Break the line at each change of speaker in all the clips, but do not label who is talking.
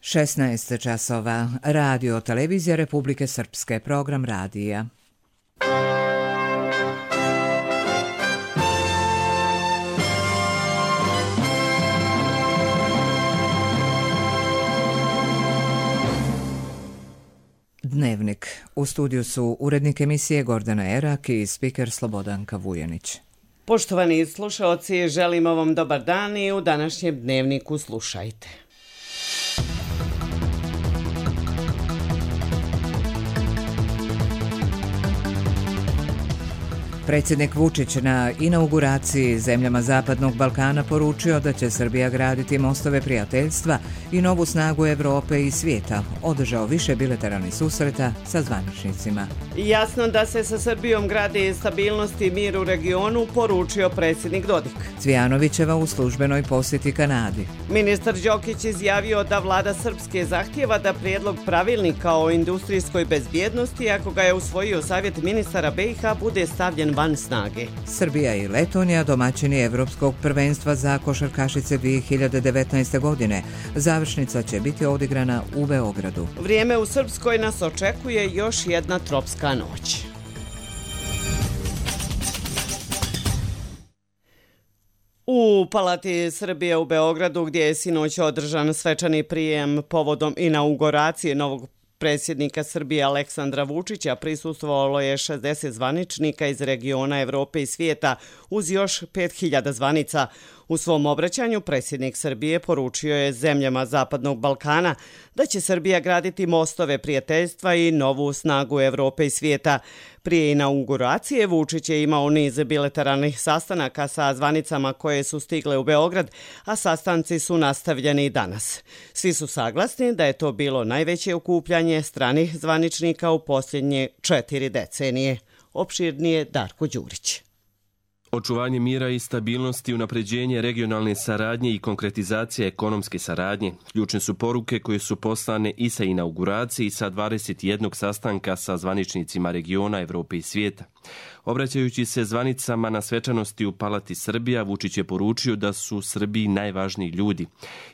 16 časova. Radio Televizija Republike Srpske. Program radija. Dnevnik. U studiju su urednik emisije Gordana Erak i spiker Slobodanka Vujanić.
Poštovani slušaoci, želimo vam dobar dan i u današnjem dnevniku slušajte.
Predsjednik Vučić na inauguraciji zemljama Zapadnog Balkana poručio da će Srbija graditi mostove prijateljstva i novu snagu Evrope i svijeta. Održao više bilateralnih susreta sa zvaničnicima.
Jasno da se sa Srbijom gradi stabilnost i mir u regionu, poručio predsjednik Dodik.
Cvijanovićeva u službenoj posjeti Kanadi.
Ministar Đokić izjavio da vlada Srpske zahtijeva da prijedlog pravilnika o industrijskoj bezbjednosti, ako ga je usvojio Savjet ministara BiH, bude stavljen van snage.
Srbija i Letonija domaćini Evropskog prvenstva za košarkašice 2019. godine. Završnica će biti odigrana u Beogradu.
Vrijeme u Srpskoj nas očekuje još jedna tropska noć. U Palati Srbije u Beogradu, gdje je sinoć održan svečani prijem povodom inauguracije novog predsjednika Srbije Aleksandra Vučića, prisustvovalo je 60 zvaničnika iz regiona Evrope i svijeta uz još 5000 zvanica. U svom obraćanju predsjednik Srbije poručio je zemljama Zapadnog Balkana da će Srbija graditi mostove prijateljstva i novu snagu Evrope i svijeta. Prije inauguracije Vučić je imao niz bilateralnih sastanaka sa zvanicama koje su stigle u Beograd, a sastanci su nastavljeni i danas. Svi su saglasni da je to bilo najveće okupljanje stranih zvaničnika u posljednje 4 decenije. Opširnije Darko Đurić.
Očuvanje mira i stabilnosti, unapređenje regionalne saradnje i konkretizacija ekonomske saradnje ključne su poruke koje su poslane i sa inauguracije i sa 21 sastanka sa zvaničnicima regiona, Evrope i svijeta. Obraćajući se zvanicama na svečanosti u Palati Srbija, Vučić je poručio da su Srbiji najvažniji ljudi.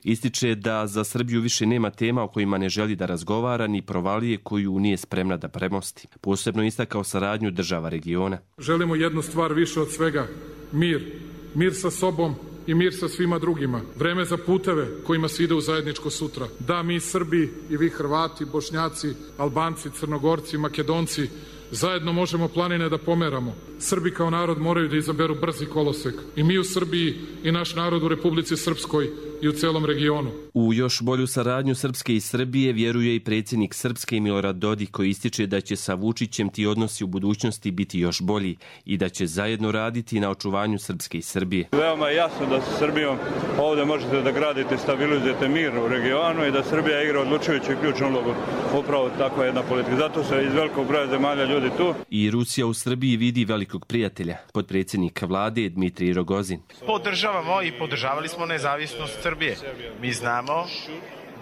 Ističe da za Srbiju više nema tema o kojima ne želi da razgovara, ni provalije koju nije spremna da premosti. Posebno istakao saradnju država regiona.
Želimo jednu stvar više od svega, mir. Mir sa sobom i mir sa svima drugima. Vreme za puteve kojima se ide u zajedničko sutra. Da, mi Srbi i vi Hrvati, Bošnjaci, Albanci, Crnogorci, Makedonci zajedno možemo planine da pomeramo. Srbi kao narod moraju da izaberu brzi kolosek. I mi u Srbiji i naš narod u Republici Srpskoj i u celom regionu.
U još bolju saradnju Srpske i Srbije vjeruje i predsjednik Srpske Milorad Dodik, koji ističe da će sa Vučićem ti odnosi u budućnosti biti još bolji i da će zajedno raditi na očuvanju Srpske i Srbije.
Veoma je jasno da sa Srbijom ovdje možete da gradite, stabilizujete mir u regionu i da Srbija igra odlučujuću i ključnu ulogu. Upravo takva jedna politika. Zato se iz velikog broja zemalja ljudi tu.
I Rusija u Srbiji vidi velikog prijatelja, potpredsjednik vlade Dmitrij Rogozin.
Podržavamo i podržavali smo nezavisnost Srbije. Mi znamo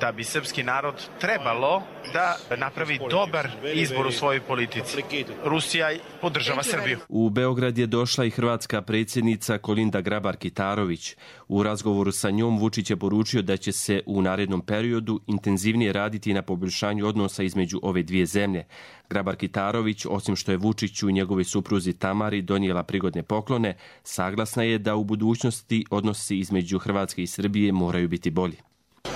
da bi srpski narod trebalo da napravi dobar izbor u svojoj politici. Rusija podržava Srbiju.
U Beograd je došla i hrvatska predsjednica Kolinda Grabar-Kitarović. U razgovoru sa njom Vučić je poručio da će se u narednom periodu intenzivnije raditi na poboljšanju odnosa između ove dvije zemlje. Grabar-Kitarović, osim što je Vučiću i njegovoj supruzi Tamari donijela prigodne poklone, saglasna je da u budućnosti odnosi između Hrvatske i Srbije moraju biti bolji.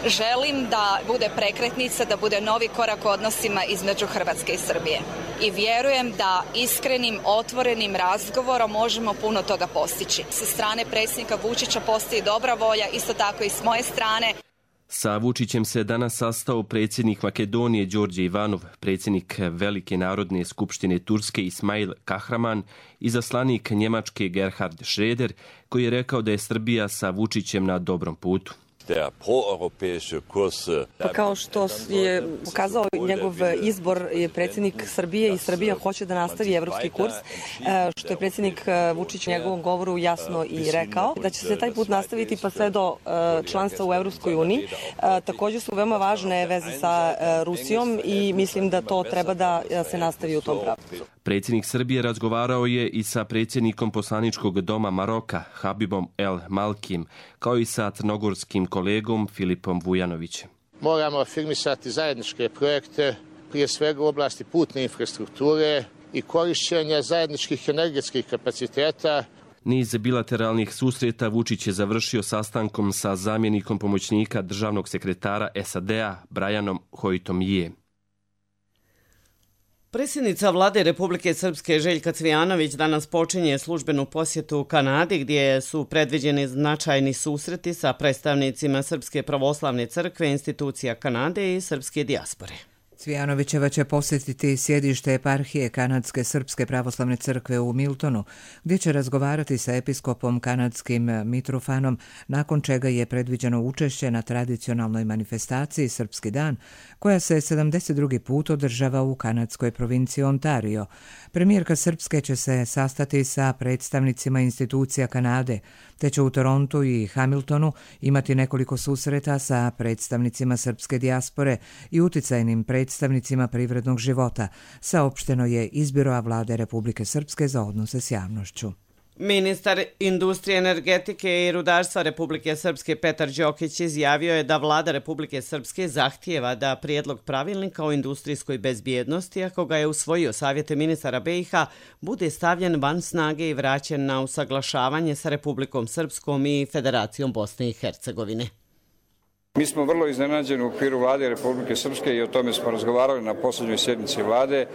Želim da bude prekretnica, da bude novi korak u odnosima između Hrvatske i Srbije. I vjerujem da iskrenim, otvorenim razgovorom možemo puno toga postići. Sa strane predsjednika Vučića postoji dobra volja, isto tako i s moje strane.
Sa Vučićem se danas sastao predsjednik Makedonije Đorđe Ivanov, predsjednik Velike narodne skupštine Turske Ismail Kahraman i izaslanik Njemačke Gerhard Schröder, koji je rekao da je Srbija sa Vučićem na dobrom putu.
Pa kao što je pokazao njegov izbor je predsjednik Srbije i Srbija hoće da nastavi evropski kurs, što je predsjednik Vučić u njegovom govoru jasno i rekao, da će se taj put nastaviti pa sve do članstva u Evropskoj uniji. Također su veoma važne veze sa Rusijom i mislim da to treba da se nastavi u tom pravcu.
Predsjednik Srbije razgovarao je i sa predsjednikom poslaničkog doma Maroka, Habibom El Malkim, kao i sa crnogorskim kolegom Filipom Vujanovićem.
Moramo afirmisati zajedničke projekte, prije svega u oblasti putne infrastrukture i korišćenja zajedničkih energetskih kapaciteta.
Niz bilateralnih susreta Vučić je završio sastankom sa zamjenikom pomoćnika državnog sekretara SAD-a Brianom Hoytom-Ije.
Predsjednica vlade Republike Srpske Željka Cvijanović danas počinje službenu posjetu Kanadi gdje su predviđeni značajni susreti sa predstavnicima Srpske pravoslavne crkve, institucija Kanade i srpske dijaspore.
Cvijanovićeva će posjetiti sjedište eparhije Kanadske Srpske pravoslavne crkve u Miltonu, gdje će razgovarati sa episkopom kanadskim Mitrofanom, nakon čega je predviđeno učešće na tradicionalnoj manifestaciji Srpski dan, koja se 72. put održava u kanadskoj provinciji Ontario. Premijerka Srpske će se sastati sa predstavnicima institucija Kanade, te će u Torontu i Hamiltonu imati nekoliko susreta sa predstavnicima srpske dijaspore i uticajnim predstavnicima privrednog života, saopšteno je iz Biroa vlade Republike Srpske za odnose s javnošću.
Ministar industrije, energetike i rudarstva Republike Srpske Petar Đokić izjavio je da vlada Republike Srpske zahtijeva da prijedlog pravilnika o industrijskoj bezbjednosti, ako ga je usvojio Savjet ministara BiH, bude stavljen van snage i vraćen na usaglašavanje sa Republikom Srpskom i Federacijom Bosne i Hercegovine.
Mi smo vrlo iznenađeni u okviru vlade Republike Srpske i o tome smo razgovarali na posljednjoj sjednici vlade,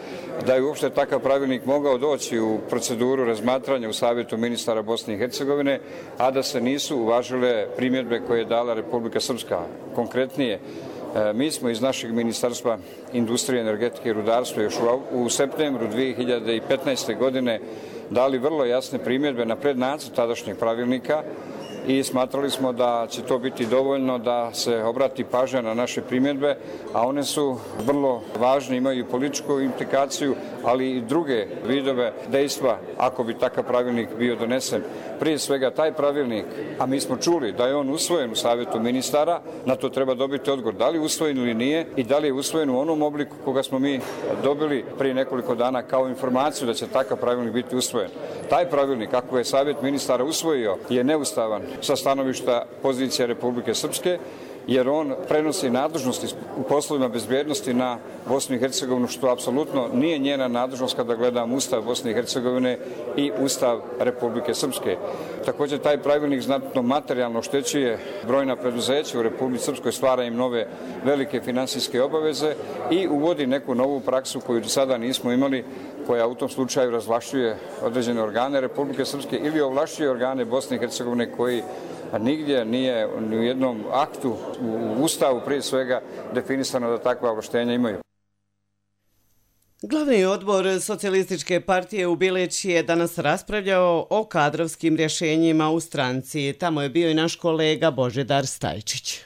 da je uopšte takav pravilnik mogao doći u proceduru razmatranja u Savjetu ministara Bosne i Hercegovine, a da se nisu uvažile primjedbe koje je dala Republika Srpska. Konkretnije, mi smo iz našeg Ministarstva industrije, energetike i rudarstva još u septembru 2015. godine dali vrlo jasne primjedbe na prednacrt tadašnjeg pravilnika, i smatrali smo da će to biti dovoljno da se obrati pažnja na naše primjedbe, a one su vrlo važne, imaju političku implikaciju, ali i druge vidove dejstva ako bi takav pravilnik bio donesen. Prije svega taj pravilnik, a mi smo čuli da je on usvojen u Savjetu ministara, na to treba dobiti odgovor da li je usvojen ili nije i da li je usvojen u onom obliku koga smo mi dobili prije nekoliko dana kao informaciju da će takav pravilnik biti usvojen. Taj pravilnik, ako je Savjet ministara usvojio, je neustavan sa stanovišta pozicije Republike Srpske, jer on prenosi nadležnosti u poslovima bezbjednosti na Bosnu i Hercegovinu, što apsolutno nije njena nadležnost kada gledamo Ustav Bosne i Hercegovine i Ustav Republike Srpske. Također taj pravilnik znatno materijalno oštećuje brojna preduzeća u Republici Srpskoj, stvara im nove velike finansijske obaveze i uvodi neku novu praksu koju do sada nismo imali, koja u tom slučaju razvlašćuje određene organe Republike Srpske ili ovlašćuje organe Bosne i Hercegovine koji nigdje nije u jednom aktu u Ustavu prije svega definisano da takva ovlaštenja imaju.
Glavni odbor Socijalističke partije u Bileći je danas raspravljao o kadrovskim rješenjima u stranci. Tamo je bio i naš kolega Božidar Stajčić.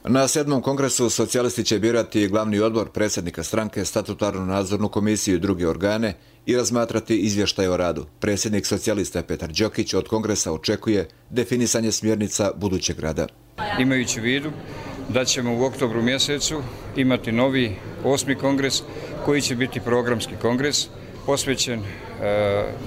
Na 7. kongresu socijalisti će birati glavni odbor, predsjednika stranke, statutarnu nadzornu komisiju i druge organe i razmatrati izvještaj o radu. Predsjednik socijalista Petar Đokić od kongresa očekuje definisanje smjernica budućeg rada.
Imajući u vidu da ćemo u oktobru mjesecu imati novi 8. kongres koji će biti programski kongres posvećen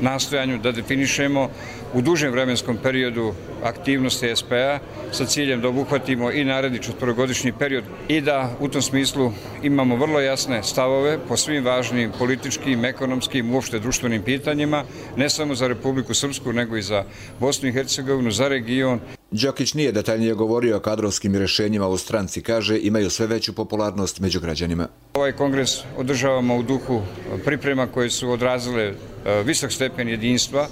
nastojanju da definišemo u dužem vremenskom periodu aktivnosti SP-a sa ciljem da obuhvatimo i naredni 4-godišnji period i da u tom smislu imamo vrlo jasne stavove po svim važnim političkim, ekonomskim, uopšte društvenim pitanjima, ne samo za Republiku Srpsku, nego i za Bosnu i Hercegovinu, za region.
Đokić nije detaljnije govorio o kadrovskim rješenjima u stranci, kaže imaju sve veću popularnost među građanima.
Ovaj kongres održavamo u duhu priprema koje su odrazile visok stepen jedinstva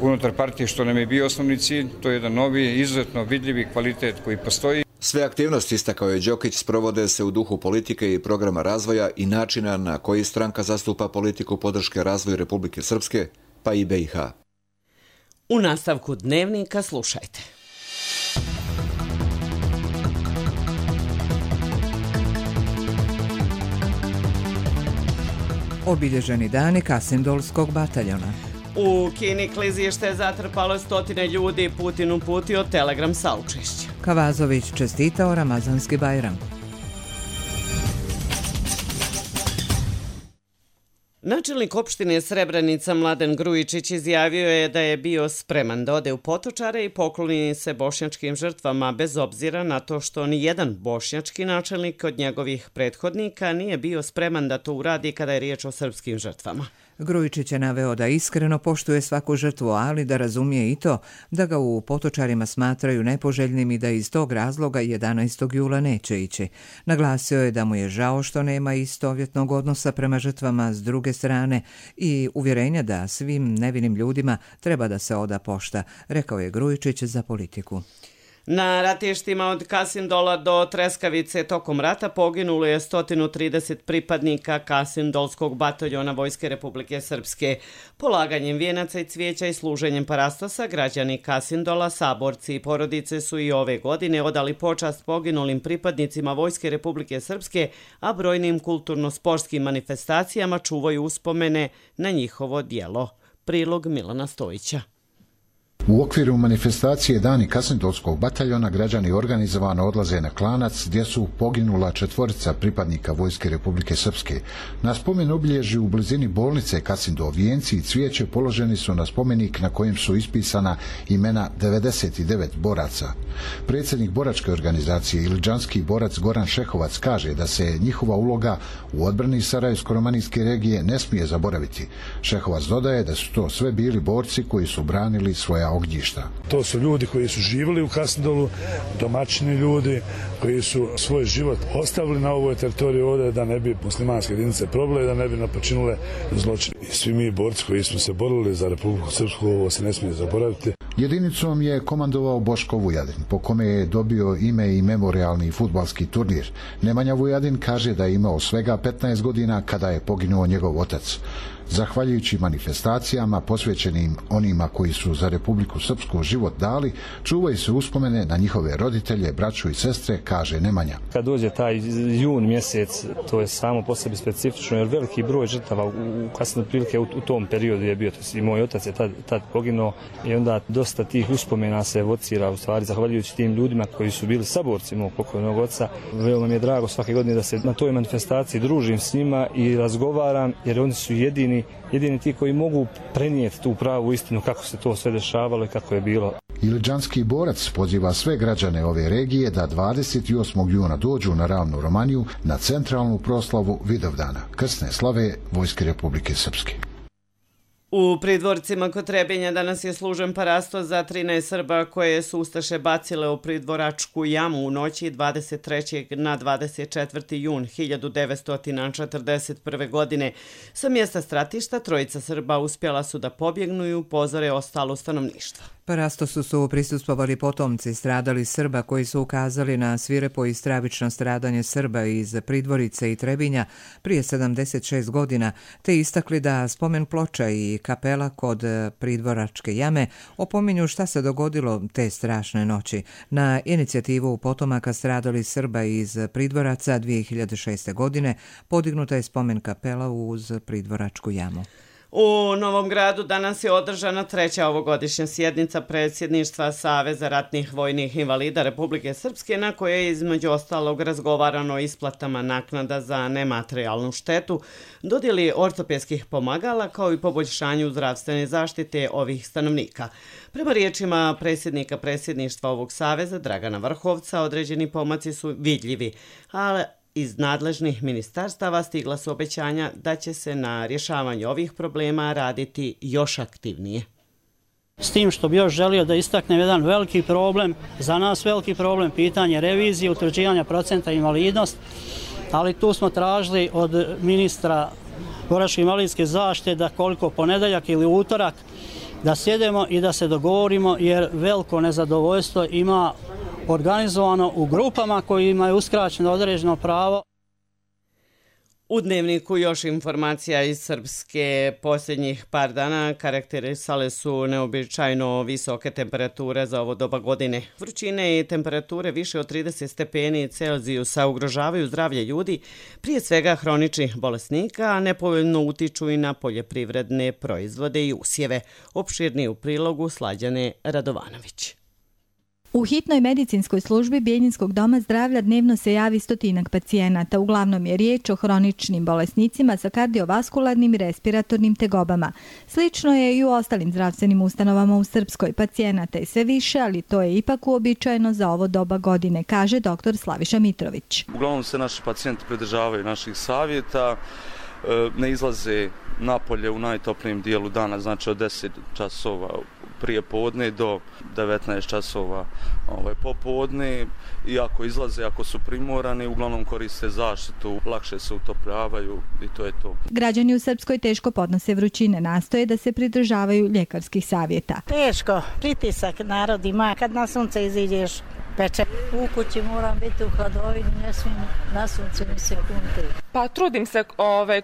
unutar partije, što nam je bio osnovni cilj. To je jedan novi, izuzetno vidljivi kvalitet koji postoji.
Sve aktivnosti, istakao je Đokić, sprovode se u duhu politike i programa razvoja i načina na koji stranka zastupa politiku podrške razvoju Republike Srpske, pa i BiH.
U nastavku dnevnika slušajte.
Obilježeni dani Kasindolskog bataljona.
U Kini klizište zatrpalo 100 ljudi, Putin uputio telegram saučešća.
Kavazović čestitao Ramazanski Bajram.
Načelnik opštine Srebrenica Mladen Grujičić izjavio je da je bio spreman da ode u Potočare i pokloni se bošnjačkim žrtvama bez obzira na to što ni jedan bošnjački načelnik od njegovih prethodnika nije bio spreman da to uradi kada je riječ o srpskim žrtvama.
Grujičić je naveo da iskreno poštuje svaku žrtvu, ali da razumije i to da ga u Potočarima smatraju nepoželjnim i da iz tog razloga 11. jula neće ići. Naglasio je da mu je žao što nema istovjetnog odnosa prema žrtvama s druge strane i uvjerenja da svim nevinim ljudima treba da se oda pošta, rekao je Grujičić za Politiku.
Na ratištima od Kasindola do Treskavice tokom rata poginulo je 130 pripadnika Kasindolskog bataljona Vojske Republike Srpske. Polaganjem vijenaca i cvijeća i služenjem parastosa građani Kasindola, saborci i porodice su i ove godine odali počast poginulim pripadnicima Vojske Republike Srpske, a brojnim kulturno-sportskim manifestacijama čuvaju uspomene na njihovo djelo. Prilog Milana Stojića.
U okviru manifestacije Dani Kasindolskog bataljona građani organizovano odlaze na Klanac gdje su poginula 4 pripadnika Vojske Republike Srpske. Na spomen obilježju u blizini bolnice Kasindol vijenci i cvijeće položeni su na spomenik na kojem su ispisana imena 99 boraca. Predsjednik boračke organizacije Iliđanski borac Goran Šehovac kaže da se njihova uloga u odbrani Sarajevsko-romanijske regije ne smije zaboraviti. Šehovac dodaje da su to sve bili borci koji su branili svoja ognjišta.
To su ljudi koji su živjeli u Kasindolu, domaćini ljudi koji su svoj život ostavili na ovoj teritoriji ovdje da ne bi muslimanske jedinice probile, da ne bi napočinule zločine. I svi mi borci koji smo se borili za Republiku Srpsku, ovo se ne smije zaboraviti.
Jedinicom je komandovao Boško Vujadin, po kome je dobio ime i memorialni fudbalski turnir. Nemanja Vujadin kaže da je imao svega 15 godina kada je poginuo njegov otac. Zahvaljujući manifestacijama posvećenim onima koji su za Republiku Srpsku život dali, čuvaju se uspomene na njihove roditelje, braću i sestre, kaže Nemanja.
Kad dođe taj jun mjesec, to je samo po sebi specifično, jer veliki broj žrtava u kasnije prilike u tom periodu je bio, i moj otac je tad poginuo i onda dosta tih uspomena se evocira, u stvari zahvaljujući tim ljudima koji su bili saborci mog pokojnog oca. Veoma mi je drago svake godine da se na toj manifestaciji družim s njima i razgovaram, jer oni su jedini ti koji mogu prenijeti tu pravu istinu kako se to sve dešavalo i kako je bilo.
Iliđanski borac poziva sve građane ove regije da 28. juna dođu na Ravnu Romaniju na centralnu proslavu Vidovdana, krsne slave Vojske Republike Srpske.
U Pridvorcima kod Trebinja danas je služen parastos za 13 Srba koje su ustaše bacile u Pridvoračku jamu u noći 23. na 24. jun 1941. godine. Sa mjesta stratišta 3 Srba uspjela su da pobjegnu i upozore ostalo stanovništvo.
Parastosu su prisustvovali potomci stradali Srba koji su ukazali na svirepo i stravično stradanje Srba iz Pridvorice i Trebinja prije 76 godina, te istakli da spomen ploča i kapela kod Pridvoračke jame opominju šta se dogodilo te strašne noći. Na inicijativu potomaka stradali Srba iz Pridvoraca 2006. godine podignuta je spomen kapela uz Pridvoračku jamu.
U Novom Gradu danas je održana 3. ovogodišnja sjednica predsjedništva Saveza ratnih vojnih invalida Republike Srpske, na kojoj je između ostalog razgovarano o isplatama naknada za nematerijalnu štetu, dodjeli ortopedskih pomagala kao i poboljšanju zdravstvene zaštite ovih stanovnika. Prema riječima predsjednika predsjedništva ovog saveza Dragana Vrhovca, određeni pomaci su vidljivi, ali iz nadležnih ministarstava stigla su obećanja da će se na rješavanju ovih problema raditi još aktivnije.
S tim što bi još želio da istaknem jedan veliki problem, za nas veliki problem, pitanje revizije, utvrđivanja procenta invalidnost, ali tu smo tražili od ministra boračke invalidske zaštite da koliko ponedeljak ili utorak da sjedemo i da se dogovorimo, jer veliko nezadovoljstvo ima organizovano u grupama kojima je uskraćeno određeno pravo.
U Dnevniku još informacija iz Srpske. Posljednjih par dana karakterisale su neobičajno visoke temperature za ovo doba godine. Vrućine i temperature više od 30 stepeni Celzijusa ugrožavaju zdravlje ljudi, prije svega hroničnih bolesnika, a nepovoljno utiču i na poljoprivredne proizvode i usjeve. Opširnije u prilogu Slađane Radovanović.
U hitnoj medicinskoj službi Bijeljinskog doma zdravlja dnevno se javi 100 pacijenata. Uglavnom je riječ o hroničnim bolesnicima sa kardiovaskularnim i respiratornim tegobama. Slično je i u ostalim zdravstvenim ustanovama u Srpskoj. Pacijenata je sve više, ali to je ipak uobičajeno za ovo doba godine, kaže dr. Slaviša Mitrović.
Uglavnom se naši pacijenti pridržavaju naših savjeta, ne izlaze napolje u najtoplijem dijelu dana, znači od 10 časova prije podne do 19 časova popodne, i ako izlaze, ako su primorani, uglavnom koriste zaštitu, lakše se utopljavaju i to je to.
Građani u Srpskoj teško podnose vrućine, nastoje da se pridržavaju ljekarskih savjeta.
Teško, pritisak narod ima, kad na sunce iziđeš peče. U kući moram biti u hladovini, ne smijem na suncu ni sekunde.
Pa trudim se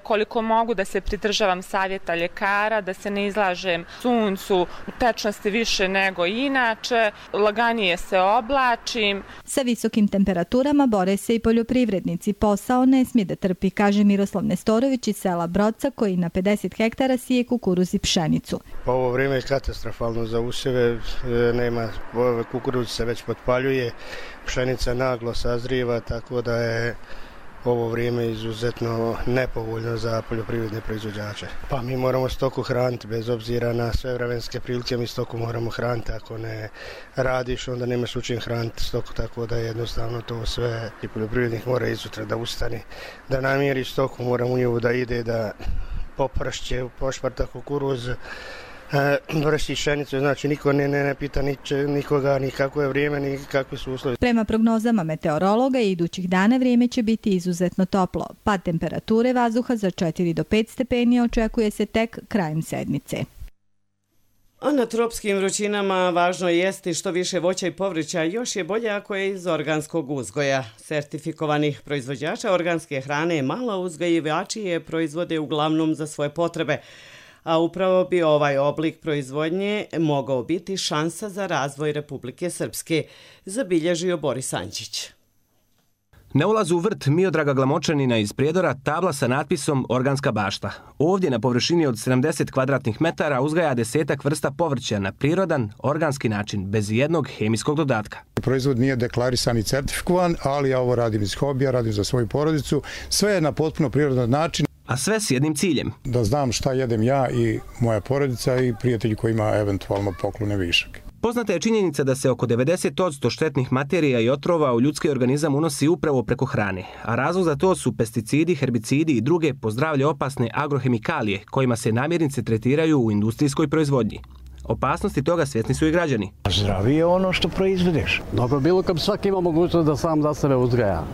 koliko mogu da se pridržavam savjeta ljekara, da se ne izlažem suncu, tečnosti više nego inače, laganije se oblačim.
Sa visokim temperaturama bore se i poljoprivrednici. Posao ne smije da trpi, kaže Miroslav Nestorović iz sela Broca, koji na 50 hektara sije kukuruz i pšenicu.
Ovo vrijeme je katastrofalno za usjeve, nema, kukuruz se već potpaljuje, pšenica naglo sazrijeva, tako da je ovo vrijeme izuzetno nepovoljno za poljoprivredne proizvođače. Pa mi moramo stoku hraniti, bez obzira na sve vremenske prilike, mi stoku moramo hraniti. Ako ne radiš, onda nemaš u čim hraniti stoku, tako da jednostavno to sve i poljoprivrednik mora izutra da ustani, da namjeri stoku, mora u nju da ide, da popršće, pošparta kukuruz, vrši pšenicu, znači niko ne pita nikoga ni kako je vrijeme, ni kakvi su uslovi.
Prema prognozama meteorologa, idućih dana vrijeme će biti izuzetno toplo. Pad temperature vazduha za 4 do 5 stepeni očekuje se tek krajem sedmice.
A na tropskim vrućinama važno je jesti što više voća i povrća, još je bolje ako je iz organskog uzgoja. Sertifikovanih proizvođača organske hrane mala uzgajivači je proizvode uglavnom za svoje potrebe. A upravo bi ovaj oblik proizvodnje mogao biti šansa za razvoj Republike Srpske, zabilježio Boris Ančić.
Na ulazu u vrt Miodraga Glamočanina iz Prijedora tabla sa natpisom Organska bašta. Ovdje na površini od 70 kvadratnih metara uzgaja 10 vrsta povrća na prirodan, organski način, bez jednog hemijskog dodatka.
Proizvod nije deklarisan i certifikovan, ali ja ovo radim iz hobija, radim za svoju porodicu. Sve je na potpuno prirodan način.
A sve s jednim ciljem.
Da znam šta jedem ja i moja porodica i prijatelji koji ima eventualno poklone višak.
Poznata je činjenica da se oko 90% štetnih materija i otrova u ljudski organizam unosi upravo preko hrane, a razlog za to su pesticidi, herbicidi i druge po zdravlje opasne agrohemikalije kojima se namirnice tretiraju u industrijskoj proizvodnji. Opasnosti toga svjesni su i građani.
Zdravije je ono što proizvedeš.
Dobro, bilo kad svaki ima mogućnost da sam za sebe uzgaja.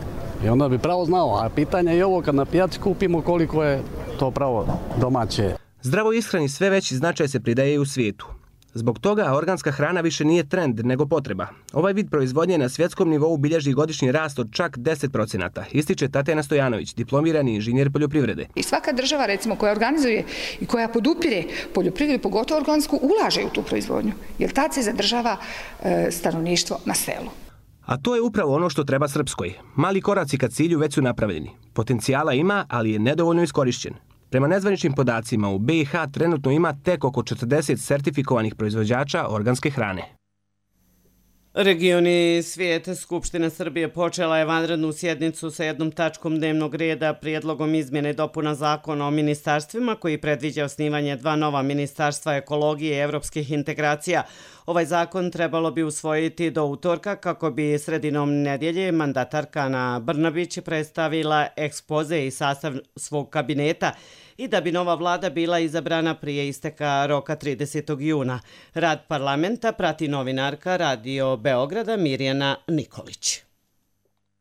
I onda bi pravo znao, a pitanje je ovo kad na pijaci kupimo koliko je to pravo domaće.
Zdravo ishrani sve veći značaj se pridaje i u svijetu. Zbog toga organska hrana više nije trend nego potreba. Ovaj vid proizvodnje na svjetskom nivou bilježi godišnji rast od čak 10%, ističe Tatjana Stojanović, diplomirani inženjer poljoprivrede.
I svaka država recimo koja organizuje i koja podupire poljoprivredu, pogotovo organsku, ulaže u tu proizvodnju, jer tad se zadržava stanovništvo na selu.
A to je upravo ono što treba Srpskoj. Mali koraci ka cilju već su napravljeni. Potencijala ima, ali je nedovoljno iskorišćen. Prema nezvaničnim podacima u BiH trenutno ima tek oko 40 sertifikovanih proizvođača organske hrane.
Regioni svijeta Skupština Srbije počela je vanrednu sjednicu sa jednom tačkom dnevnog reda prijedlogom izmjene i dopuna zakona o ministarstvima koji predviđa osnivanje 2 nova ministarstva ekologije i evropskih integracija. Ovaj zakon trebalo bi usvojiti do utorka kako bi sredinom nedjelje mandatarka Ana Brnabić predstavila ekspoze i sastav svog kabineta i da bi nova vlada bila izabrana prije isteka roka 30. juna. Rad parlamenta prati novinarka Radio Beograda Mirjana Nikolić.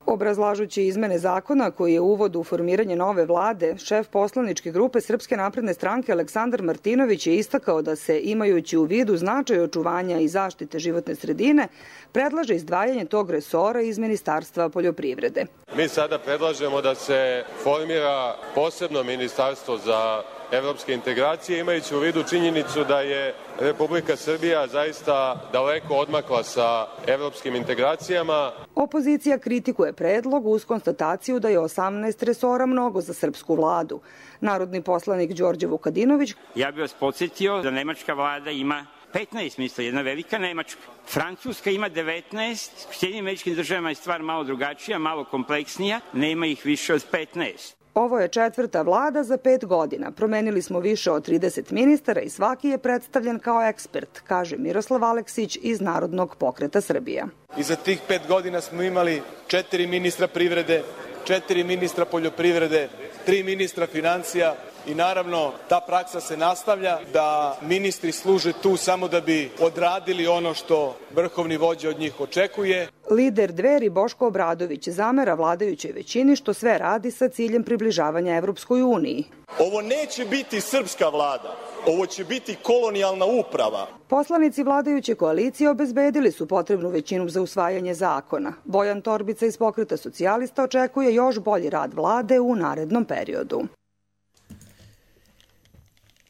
Obrazlažući izmene zakona koji je uvod u formiranje nove vlade, šef poslaničke grupe Srpske napredne stranke Aleksandar Martinović je istakao da se, imajući u vidu značaj očuvanja i zaštite životne sredine, predlaže izdvajanje tog resora iz Ministarstva poljoprivrede.
Mi sada predlažemo da se formira posebno ministarstvo za evropske integracije, imajući u vidu činjenicu da je Republika Srbija zaista daleko odmakla sa evropskim integracijama.
Opozicija kritikuje predlog uz konstataciju da je 18 resora mnogo za srpsku vladu. Narodni poslanik Đorđe Vukadinović:
Ja bih vas podsjetio da nemačka vlada ima
15, misle, jedna velika Nemačka. Francuska ima 19, u Sjedinjenim Američkim Državama je stvar malo drugačija, malo kompleksnija, nema ih više od 15.
Ovo je 4. vlada za 5 godina. Promenili smo više od 30 ministara i svaki je predstavljen kao ekspert, kaže Miroslav Aleksić iz Narodnog pokreta Srbija.
I za tih 5 godina smo imali 4 ministra privrede, 4 ministra poljoprivrede, 3 ministra financija i naravno ta praksa se nastavlja da ministri služe tu samo da bi odradili ono što vrhovni vođa od njih očekuje.
Lider Dveri Boško Obradović zamera vladajućoj većini što sve radi sa ciljem približavanja Evropskoj uniji.
Ovo neće biti srpska vlada, ovo će biti kolonijalna uprava.
Poslanici vladajuće koalicije obezbedili su potrebnu većinu za usvajanje zakona. Bojan Torbica iz Pokreta socijalista očekuje još bolji rad vlade u narednom periodu.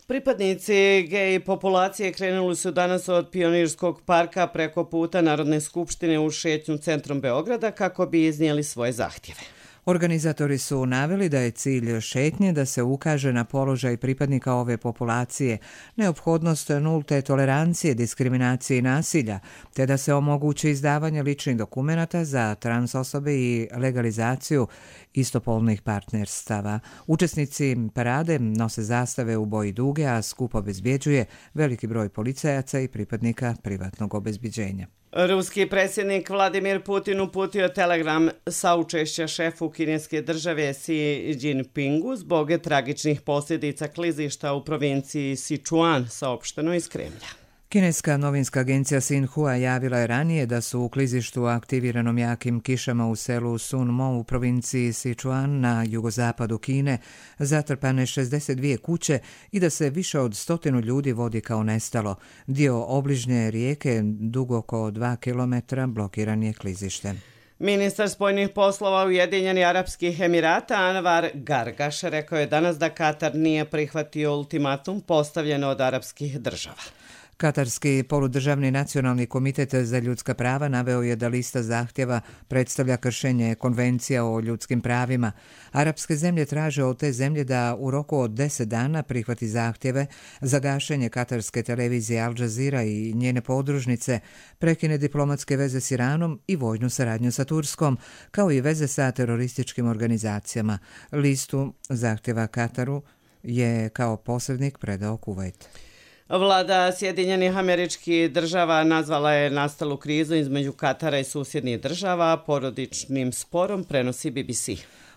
Pripadnici gej populacije krenuli su danas od Pionirskog parka preko puta Narodne skupštine u šetnju centrom Beograda kako bi iznijeli svoje zahtjeve.
Organizatori su naveli da je cilj šetnje da se ukaže na položaj pripadnika ove populacije, neophodnost nulte tolerancije, diskriminacije i nasilja, te da se omogući izdavanje ličnih dokumenata za trans osobe i legalizaciju istopolnih partnerstava. Učesnici parade nose zastave u boji duge, a skup obezbjeđuje veliki broj policajaca i pripadnika privatnog obezbjeđenja.
Ruski predsjednik Vladimir Putin uputio telegram saučešća šefu kineske države Xi Jinpingu zbog tragičnih posljedica klizišta u provinciji Sichuan, saopšteno iz Kremlja.
Kineska novinska agencija Xinhua javila je ranije da su u klizištu aktiviranom jakim kišama u selu Sunmo u provinciji Sichuan na jugozapadu Kine zatrpane 62 kuće i da se više od 100 ljudi vodi kao nestalo. Dio obližnje rijeke, dug oko 2 km, blokiran je klizištem.
Ministar spoljnih poslova Ujedinjenih Arapskih Emirata Anvar Gargaš rekao je danas da Katar nije prihvatio ultimatum postavljen od arapskih država.
Katarski poludržavni nacionalni komitet za ljudska prava naveo je da lista zahtjeva predstavlja kršenje konvencija o ljudskim pravima. Arapske zemlje traže od te zemlje da u roku od 10 dana prihvati zahtjeve za gašenje katarske televizije Al Jazeera i njene podružnice, prekine diplomatske veze s Iranom i vojnu saradnju sa Turskom, kao i veze sa terorističkim organizacijama. Listu zahtjeva Kataru je kao posrednik predao Kuvajt.
Vlada Sjedinjenih Američkih Država nazvala je nastalu krizu između Katara i susjednih država porodičnim sporom, prenosi BBC.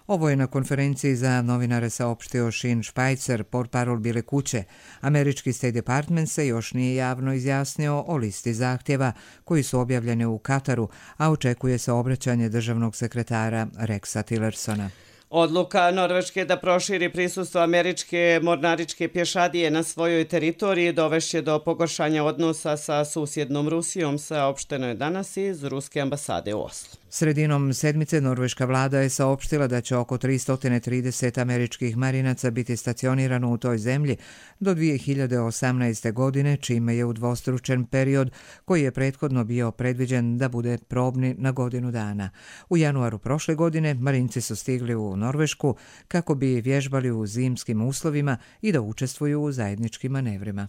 Ovo je na konferenciji za novinare saopštio Sean Spicer, portparol Bijele kuće. Američki State Department se još nije javno izjasnio o listi zahtjeva koji su objavljeni u Kataru, a očekuje se obraćanje državnog sekretara Rexa Tillersona.
Odluka Norveške da proširi prisustvo američke mornaričke pješadije na svojoj teritoriji dovešće do pogoršanja odnosa sa susjednom Rusijom, saopšteno je danas iz Ruske ambasade u Oslu.
Sredinom sedmice norveška vlada je saopštila da će oko 330 američkih marinaca biti stacionirano u toj zemlji do 2018. godine, čime je udvostručen period koji je prethodno bio predviđen da bude probni na godinu dana. U januaru prošle godine marinci su stigli u Norvešku kako bi vježbali u zimskim uslovima i da učestvuju u zajedničkim manevrima.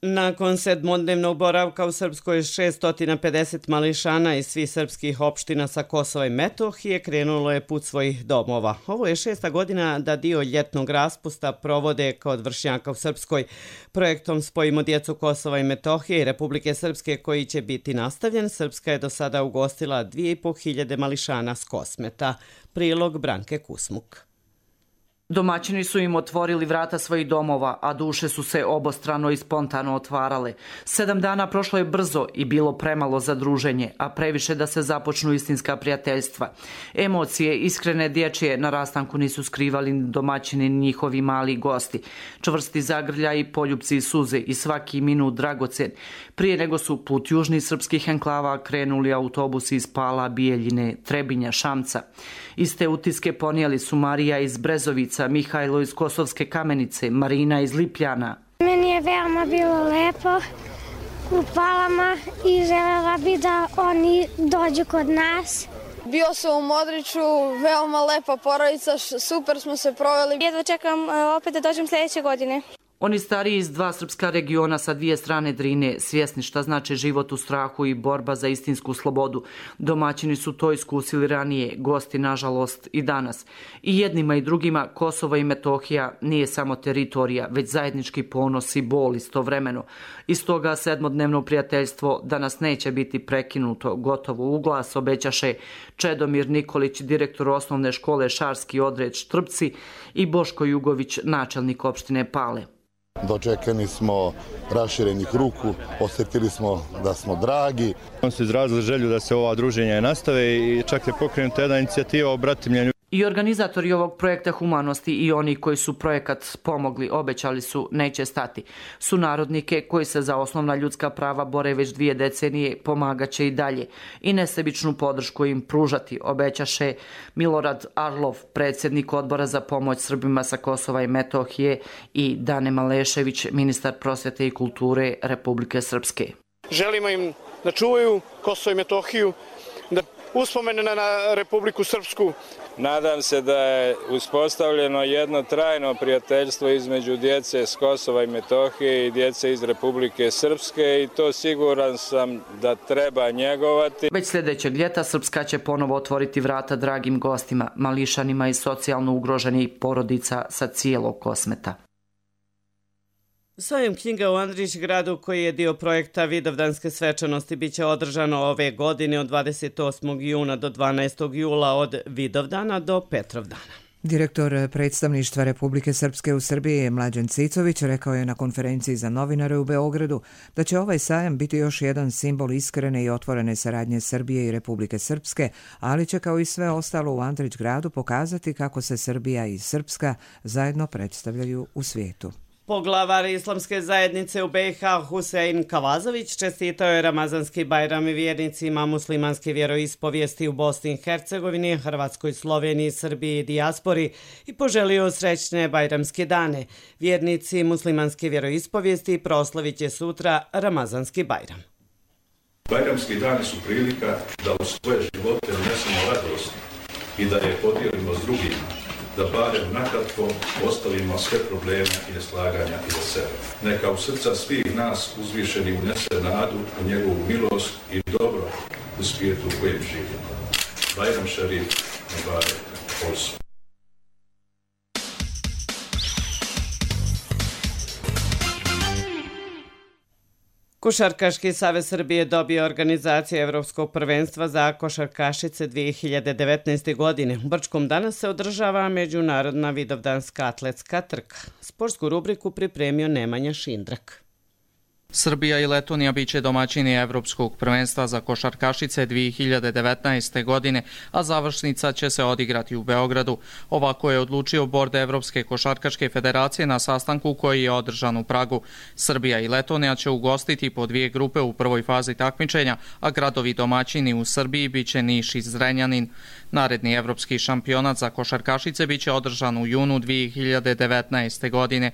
Nakon 7-dnevnog boravka u Srpskoj 650 mališana iz svih srpskih opština sa Kosova i Metohije krenulo je put svojih domova. Ovo je 6. godina da dio ljetnog raspusta provode kod vršnjaka u Srpskoj. Projektom Spojimo djecu Kosova i Metohije i Republike Srpske koji će biti nastavljen, Srpska je do sada ugostila 2500 mališana s Kosmeta. Prilog Branke Kusmuk.
Domaćini su im otvorili vrata svojih domova, a duše su se obostrano i spontano otvarale. 7 dana prošlo je brzo i bilo premalo za druženje, a previše da se započnu istinska prijateljstva. Emocije, iskrene dječje na rastanku nisu skrivali ni domaćini ni njihovi mali gosti. Čvrsti zagrljaj i poljupci i suze i svaki minut dragocen. Prije nego su put južnih srpskih enklava krenuli autobusi iz Pala, Bijeljine, Trebinja, Šamca. Iste utiske ponijeli su Marija iz Brezovica, Mihajlo iz Kosovske Kamenice, Marina iz Lipljana.
Meni je veoma bilo lepo u Palama i želela bi da oni dođu kod nas
Bio sam u Modriću, veoma lepa porodica, super smo se proveli.
Jedva čekam opet da dođem sljedeće godine.
Oni stariji iz dva srpska regiona sa dvije strane Drine, svjesni šta znači život u strahu i borba za istinsku slobodu. Domaćini su to iskusili ranije, gosti nažalost i danas. I jednima i drugima Kosovo i Metohija nije samo teritorija, već zajednički ponos i bol istovremeno. Iz toga sedmodnevno prijateljstvo danas neće biti prekinuto, gotovo u glas obećaše Čedomir Nikolić, direktor osnovne škole Šarski odred Štrpci, i Boško Jugović, načelnik opštine Pale.
Dočekani smo raširenih ruku, osjetili smo da smo dragi.
On su izrazili želju da se ova druženja nastave i čak je pokrenuta jedna inicijativa o bratimljenju.
I organizatori ovog projekta humanosti i oni koji su projekat pomogli, obećali su, neće stati. Sunarodnike koji se za osnovna ljudska prava bore već 2 decenije pomagaće i dalje i nesebičnu podršku im pružati, obećaše Milorad Arlov, predsjednik odbora za pomoć Srbima sa Kosova i Metohije, i Dane Malešević, ministar prosvjete i kulture Republike Srpske.
Želimo im da čuvaju Kosovo i Metohiju, da uspomene na Republiku Srpsku.
Nadam se da je uspostavljeno jedno trajno prijateljstvo između djece s Kosova i Metohije i djece iz Republike Srpske i to siguran sam da treba njegovati.
Već sljedećeg ljeta Srpska će ponovo otvoriti vrata dragim gostima, mališanima i socijalno ugroženih porodica sa cijelog Kosmeta.
Sajam knjiga u Andrićgradu, koji je dio projekta Vidovdanske svečanosti, biće održano ove godine od 28. juna do 12. jula, od Vidovdana do Petrovdana.
Direktor predstavništva Republike Srpske u Srbiji Mlađan Cicović rekao je na konferenciji za novinare u Beogradu da će ovaj sajam biti još jedan simbol iskrene i otvorene saradnje Srbije i Republike Srpske, ali će kao i sve ostalo u Andrićgradu pokazati kako se Srbija i Srpska zajedno predstavljaju u svijetu.
Poglavar Islamske zajednice u BiH Husein Kavazović čestitao je Ramazanski Bajram vjernicima muslimanske vjeroispovijesti u Bosni i Hercegovini, Hrvatskoj, Sloveniji, Srbiji i dijaspori i poželio srećne bajramske dane. Vjernici muslimanske vjeroispovijesti proslavit će sutra Ramazanski Bajram.
Bajramski dani su prilika da u svoje živote unesemo radost i da je podijelimo s drugima, da barem nakratko ostavimo sve probleme i neslaganja iza sebe. Neka u srca svih nas uzvišeni unese nadu u njegovu milost i dobro u svijetu u kojem živimo. Bajram šarif, Mubarek, Polsu.
Košarkaški savez Srbije dobio organizaciju Evropskog prvenstva za košarkašice 2019. godine. U Brčkom danas se održava međunarodna vidovdanska atletska trka. Sportsku rubriku pripremio Nemanja Šindrak.
Srbija i Letonija biće domaćini Evropskog prvenstva za košarkašice 2019. godine, a završnica će se odigrati u Beogradu. Ovako je odlučio bord Evropske košarkaške federacije na sastanku koji je održan u Pragu. Srbija i Letonija će ugostiti po 2 grupe u prvoj fazi takmičenja, a gradovi domaćini u Srbiji biće Niš i Zrenjanin. Naredni evropski šampionat za košarkašice biće održan u junu 2019. godine.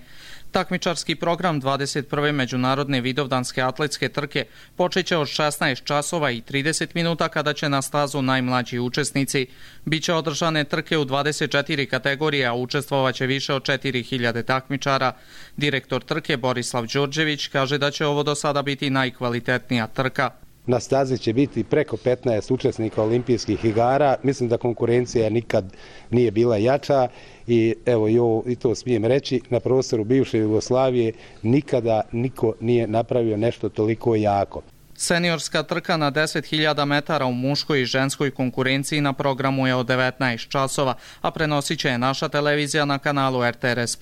Takmičarski program 21. međunarodne vidovdanske atletske trke počeće od 16 časova i 30 minuta kada će na stazu najmlađi učesnici. Biće održane trke u 24 kategorije, a učestvovaće više od 4000 takmičara. Direktor trke Borislav Đorđević kaže da će ovo do sada biti najkvalitetnija trka.
Na stazi će biti preko 15 učesnika olimpijskih igara. Mislim da konkurencija nikad nije bila jača i evo i to smijem reći, na prostoru bivše Jugoslavije nikada niko nije napravio nešto toliko jako.
Seniorska trka na 10.000 metara u muškoj i ženskoj konkurenciji na programu je od 19 časova, a prenosit će je naša televizija na kanalu RTRS+.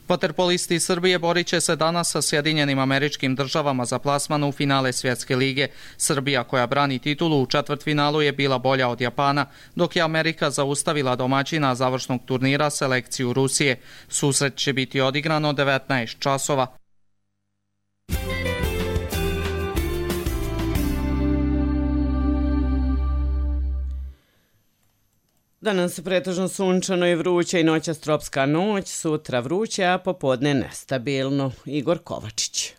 Vaterpolisti Srbije borit će se danas sa Sjedinjenim Američkim Državama za plasman u finale Svjetske lige. Srbija, koja brani titulu, u četvrtfinalu je bila bolja od Japana, dok je Amerika zaustavila domaćina završnog turnira selekciju Rusije. Susret će biti odigran od 19 časova.
Danas pretežno sunčano i vruće i noćas tropska noć, sutra vruće, a popodne nestabilno. Igor Kovačić.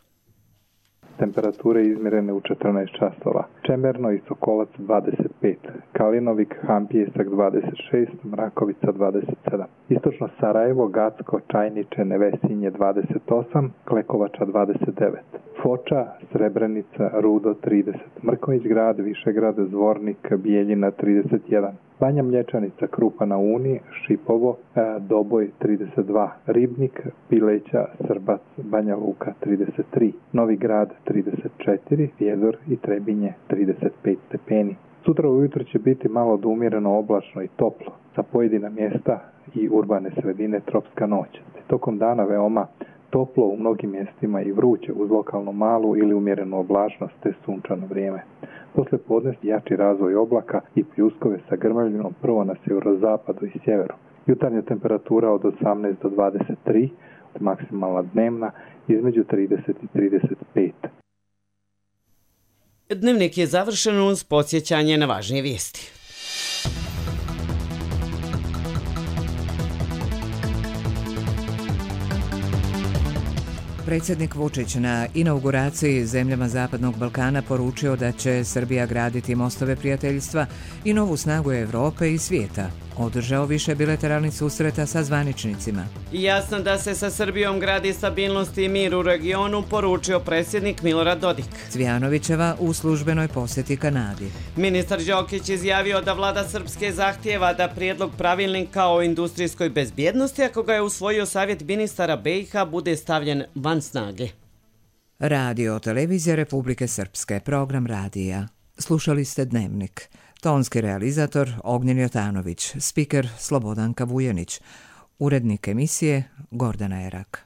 temperature izmjerene u 14 časova. Čemerno i Sokolac 25, Kalinovik, Hampijesak 26, Mrakovica 27. Istočno Sarajevo, Gacko, Čajniče, Nevesinje 28, Klekovača 29. Foča, Srebrenica, Rudo 30, Mrković grad, Višegrad, Zvornik, Bijeljina 31. Banja Mlječanica, Krupa na Uni, Šipovo, Doboj 32, Ribnik, Pileća, Srbac, Banja Luka 33, Novi Grad 34, Vjedor i Trebinje 35 stepeni. Sutra ujutro će biti malo umjereno oblačno i toplo, sa pojedina mjesta i urbane sredine tropska noć. Tokom dana veoma toplo u mnogim mjestima i vruće uz lokalnu malu ili umjerenu oblačnost te sunčano vrijeme. Posle podne jači razvoj oblaka i pljuskove sa grmljavinom prvo na sjeverozapadu i sjeveru. Jutarnja temperatura od 18 do 23, maksimalna dnevna između 30 i 35.
Dnevnik je završen uz podsjećanje na važnije vijesti.
Predsjednik Vučić na inauguraciji zemljama Zapadnog Balkana poručio da će Srbija graditi mostove prijateljstva i novu snagu Evrope i svijeta. Održao više bilateralnih susreta sa zvaničnicima.
Jasno da se sa Srbijom gradi stabilnost i mir u regionu, poručio predsjednik Milorad Dodik.
Cvijanovićeva u službenoj posjeti Kanadi.
Ministar Đokić izjavio da vlada Srpske zahtijeva da prijedlog pravilnika o industrijskoj bezbjednosti, ako ga je usvojio Savjet ministara BiH, bude stavljen van snage.
Radio televizija Republike Srpske, program radija. Slušali ste Dnevnik. Tonski realizator Ognjen Jotanović, spiker Slobodanka Vujanić, urednik emisije Gordana Erak.